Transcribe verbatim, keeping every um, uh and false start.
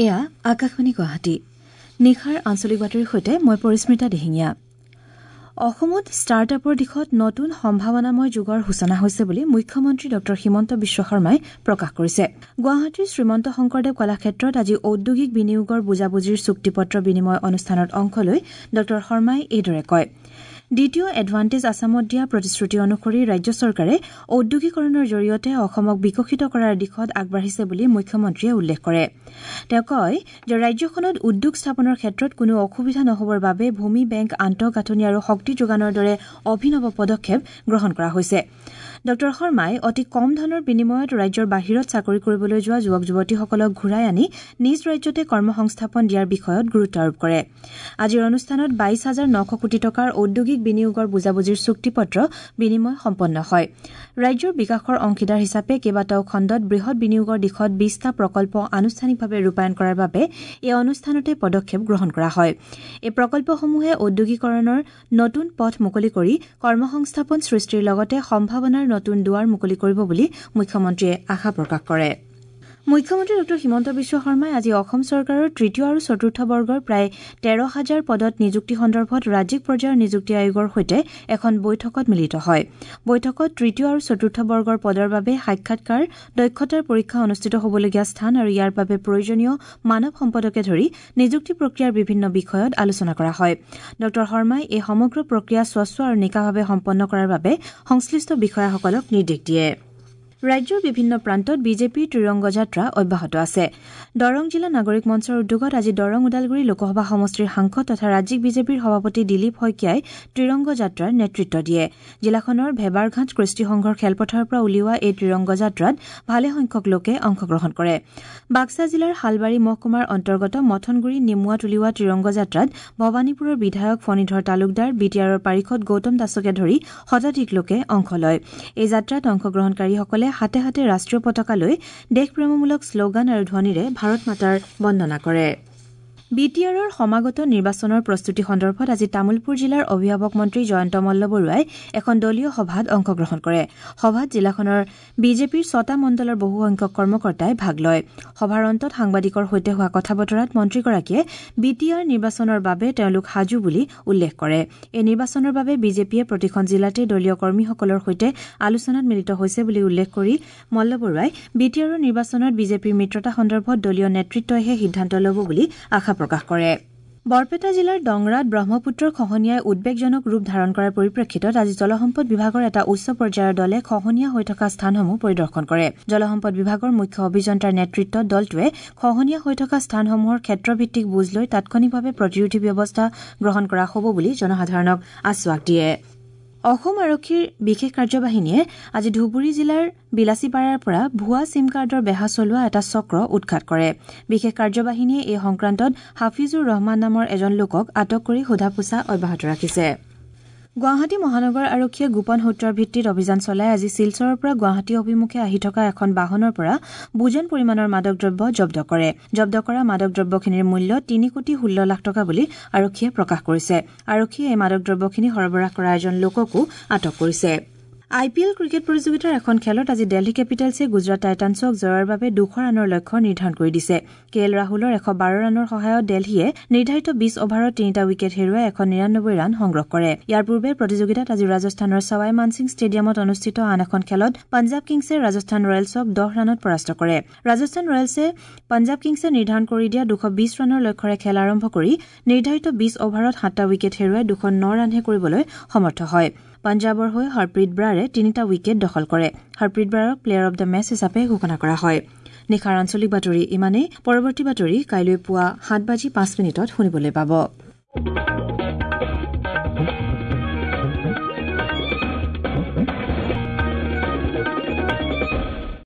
এয়া আকাশবাণী গুৱাহাটী। নিশাৰ আঞ্চলিক বাতৰিৰ সৈতে মই পৰিস্মিতা দিহিঙীয়া। অসমত ষ্টাৰ্টআপৰ দিশত নতুন সম্ভাৱনাময় যুগৰ সূচনা হৈছে বুলি মুখ্যমন্ত্ৰী ডঃ হিমন্ত বিশ্ব শৰ্মাই প্ৰকাশ কৰিছে। গুৱাহাটীৰ শ্ৰীমন্ত শংকৰদেৱ কলাক্ষেত্ৰত আজি ঔদ্যোগিক বিনিয়োগৰ বুজাবুজিৰ চুক্তিপত্ৰ বিনিময় অনুষ্ঠানত অংশ লৈ ডঃ শৰ্মাই এইদৰে কয়। দ্বিতীয় এডভান্টেজ আছামত দিয়া প্ৰতিশ্ৰুতি অনুসৰি ৰাজ্য চৰকাৰে ঔদ্যোগিকৰণৰ জৰিয়তে অসমক বিকশিত কৰাৰ দিশত আগবাঢ়িছে বুলি মুখ্যমন্ত্ৰীয়ে উল্লেখ কৰে। তেওঁ কয় যে ৰাজ্যখনত উদ্যোগ স্থাপনৰ ক্ষেত্ৰত কোনো অসুবিধা নহবৰ বাবে ভূমি বেংক, আন্তঃগাঁথনি আৰু শক্তি যোগানৰ দৰে অভিনৱ পদক্ষেপ গ্ৰহণ কৰা হৈছে। ডঃ শৰ্মাই অতি কম ধনৰ বিনিময়ত ৰাজ্যৰ বাহিৰত চাকৰি কৰিবলৈ যোৱা যুৱক যুৱতীসকলক ঘূৰাই আনি নিজ ৰাজ্যতে কৰ্মসংস্থাপন দিয়াৰ বিষয়ত গুৰুত্ব আৰোপ কৰে। আজিৰ অনুষ্ঠানত বাইশ হাজাৰ নশ কোটি টকাৰ ঔদ্যোগিক বিনিয়োগৰ বুজাবুজিৰ চুক্তিপত্ৰ বিনিময় সম্পন্ন হয়। ৰাজ্যৰ বিকাশৰ অংশীদাৰ হিচাপে কেইবাটাও খণ্ডত বৃহৎ বিনিয়োগৰ দিশত বিশটা প্ৰকল্প আনুষ্ঠানিকভাৱে ৰূপায়ণ কৰাৰ বাবে এই অনুষ্ঠানতে পদক্ষেপ গ্ৰহণ কৰা হয়। এই প্ৰকল্পসমূহে ঔদ্যোগিকৰণৰ নতুন পথ মুকলি কৰি কৰ্মসংস্থাপন সৃষ্টিৰ লগতে সম্ভাৱনাৰ নতুন দুৱাৰ মুকলি কৰিব বুলি মুখ্যমন্ত্ৰীয়ে আশা প্ৰকাশ কৰে। মুখ্যমন্ত্ৰী ডঃ হিমন্ত বিশ্ব শৰ্মাই আজি অসম চৰকাৰৰ তৃতীয় আৰু চতুৰ্থ বৰ্গৰ প্ৰায় তেৰ হাজাৰ পদত নিযুক্তি সন্দৰ্ভত ৰাজ্যিক পৰ্যায়ৰ নিযুক্তি আয়োগৰ সৈতে এখন বৈঠকত মিলিত হয়। বৈঠকত তৃতীয় আৰু চতুৰ্থ বৰ্গৰ পদৰ বাবে সাক্ষাৎকাৰ, দক্ষতাৰ পৰীক্ষা অনুষ্ঠিত হ'বলগীয়া স্থান আৰু ইয়াৰ বাবে প্ৰয়োজনীয় মানৱ সম্পদকে ধৰি নিযুক্তি প্ৰক্ৰিয়াৰ বিভিন্ন বিষয়ত আলোচনা কৰা হয়। ডঃ শৰ্মাই এই সমগ্ৰ প্ৰক্ৰিয়া স্বচ্ছ আৰু নিকাভাৱে সম্পন্ন কৰাৰ বাবে সংশ্লিষ্ট বিষয়াসকলক নিৰ্দেশ দিয়ে। ৰাজ্যৰ বিভিন্ন প্ৰান্তত বিজেপিৰ ত্ৰিৰংগ যাত্ৰা অব্যাহত আছে। দৰং জিলা নাগৰিক মঞ্চৰ উদ্যোগত আজি দৰং ওদালগুৰি লোকসভা সমষ্টিৰ সাংসদ তথা ৰাজ্যিক বিজেপিৰ সভাপতি দিলীপ শইকীয়াই ত্ৰিৰংগ যাত্ৰাৰ নেতৃত্ব দিয়ে। জিলাখনৰ ভেবাৰঘাট কৃষ্টি সংঘৰ খেলপথাৰৰ পৰা উলিওৱা এই ত্ৰিৰংগ যাত্ৰাত ভালেসংখ্যক লোকে অংশগ্ৰহণ কৰে। বাক্সা জিলাৰ শালবাৰী মহকুমাৰ অন্তৰ্গত মথনগুৰি নিমুৱাত উলিওৱা ত্ৰিৰংগ যাত্ৰাত ভৱানীপুৰৰ বিধায়ক ফণীধৰ তালুকদাৰ, বি টি আৰৰ পাৰিষদ গৌতম দাসকে ধৰি শতাধিক লোকে অংশ লয়। এই যাত্ৰাত অংশগ্ৰহণকাৰীসকলে হাতে হাতে ৰাষ্ট্ৰীয় পতাকা লৈ দেশপ্ৰেমমূলক শ্লোগান আৰু ধ্বনিৰে ভাৰত মাতাৰ বন্দনা কৰে। বি টি আৰৰ সমাগত নিৰ্বাচনৰ প্ৰস্তুতি সন্দৰ্ভত আজি তামুলপুৰ জিলাৰ অভিভাৱক মন্ত্ৰী জয়ন্ত মল্ল বৰুৱাই এখন দলীয় সভাত অংশগ্ৰহণ কৰে। সভাত জিলাখনৰ বিজেপিৰ ছটা মণ্ডলৰ বহুসংখ্যক কৰ্মকৰ্তাই ভাগ লয়। সভাৰ অন্তত সাংবাদিকৰ সৈতে হোৱা কথা বতৰাত মন্ত্ৰীগৰাকীয়ে বি টি আৰ নিৰ্বাচনৰ বাবে তেওঁলোক সাজু বুলি উল্লেখ কৰে। এই নিৰ্বাচনৰ বাবে বিজেপিয়ে প্ৰতিখন জিলাতে দলীয় কৰ্মীসকলৰ সৈতে আলোচনাত মিলিত হৈছে বুলি উল্লেখ কৰি মল্ল বৰুৱাই বি টি আৰৰ নিৰ্বাচনত বিজেপিৰ মিত্ৰতা সন্দৰ্ভত দলীয় নেতৃত্বইহে সিদ্ধান্ত ল'ব বুলি আশা প্ৰকাশ কৰে। বৰপেটা জিলাৰ দংৰাত ব্ৰহ্মপুত্ৰৰ খহনীয়াই উদ্বেগজনক ৰূপ ধাৰণ কৰাৰ পৰিপ্ৰেক্ষিতত আজি জলসম্পদ বিভাগৰ এটা উচ্চ পৰ্যায়ৰ দলে খহনীয়া হৈ থকা স্থানসমূহ পৰিদৰ্শন কৰে। জলসম্পদ বিভাগৰ মুখ্য অভিযন্তাৰ নেতৃত্বত দলটোৱে খহনীয়া হৈ থকা স্থানসমূহৰ ক্ষেত্ৰভিত্তিক বুজ লৈ তাৎক্ষণিকভাৱে প্ৰতিৰোধী ব্যৱস্থা গ্ৰহণ কৰা হ'ব বুলি জনসাধাৰণক আশ্বাস দিয়ে। অসম আৰক্ষীৰ বিশেষ কাৰ্যবাহিনীয়ে আজি ধুবুৰী জিলাৰ বিলাচীপাৰাৰ পৰা ভুৱা চিম কাৰ্ডৰ বেহা চলোৱা এটা চক্ৰ উৎখাত কৰে। বিশেষ কাৰ্যবাহিনীয়ে এই সংক্ৰান্তত হাফিজুৰ ৰহমান নামৰ এজন লোকক আটক কৰি সোধা পোছা অব্যাহত ৰাখিছে। গুৱাহাটী মহানগৰ আৰক্ষীয়ে গোপন সূত্ৰৰ ভিত্তিত অভিযান চলাই আজি শিলচৰৰ পৰা গুৱাহাটী অভিমুখে আহি থকা এখন বাহনৰ পৰা বুজন পৰিমাণৰ মাদক দ্ৰব্য জব্দ কৰে। জব্দ কৰা মাদক দ্ৰব্যখিনিৰ মূল্য তিনি কোটি ষোল্ল লাখ টকা বুলি আৰক্ষীয়ে প্ৰকাশ কৰিছে। আৰক্ষীয়ে এই মাদক দ্ৰব্যখিনি সৰবৰাহ কৰা এজন লোককো আটক কৰিছে। আই পি এল ক্ৰিকেট প্ৰতিযোগিতাৰ এখন খেলত আজি দিল্লী কেপিটেলছে গুজৰাট টাইটানছক জয়ৰ বাবে দুশ ৰানৰ লক্ষ্য নিৰ্ধাৰণ কৰি দিছে। কে এল ৰাহুলৰ এশ বাৰ ৰানৰ সহায়ত দিল্লীয়ে নিৰ্ধাৰিত বিশ অভাৰত তিনিটা উইকেট হেৰুৱাই এশ নিৰানব্বৈ ৰান সংগ্ৰহ কৰে। ইয়াৰ পূৰ্বে প্ৰতিযোগিতাত আজি ৰাজস্থানৰ ছাৱাই মানসিং ষ্টেডিয়ামত অনুষ্ঠিত আন এখন খেলত পঞ্জাৱ কিংছে ৰাজস্থান ৰয়েলছক দহ ৰানত পৰাস্ত কৰে। ৰাজস্থান ৰয়েলছে পঞ্জাৱ কিংছে নিৰ্ধাৰণ কৰি দিয়া দুশ বিশ ৰানৰ লক্ষ্যৰে খেল আৰম্ভ কৰি নিৰ্ধাৰিত বিশ অভাৰত সাতটা উইকেট হেৰুৱাই দুশ ন ৰানহে কৰিবলৈ সমৰ্থ হয়। পঞ্জাৱৰ হৈ হৰপ্ৰীত ব্ৰাৰে তিনিটা উইকেট দখল কৰে। হৰপ্ৰীত ব্ৰাৰক প্লেয়াৰ অব the match হিচাপে ঘোষণা কৰা হয়। নিশাৰ আঞ্চলিক বাতৰি ইমানেই। পৰৱৰ্তী বাতৰি কাইলৈ পুৱা সাত বাজি পাঁচ মিনিটত শুনিবলৈ পাব।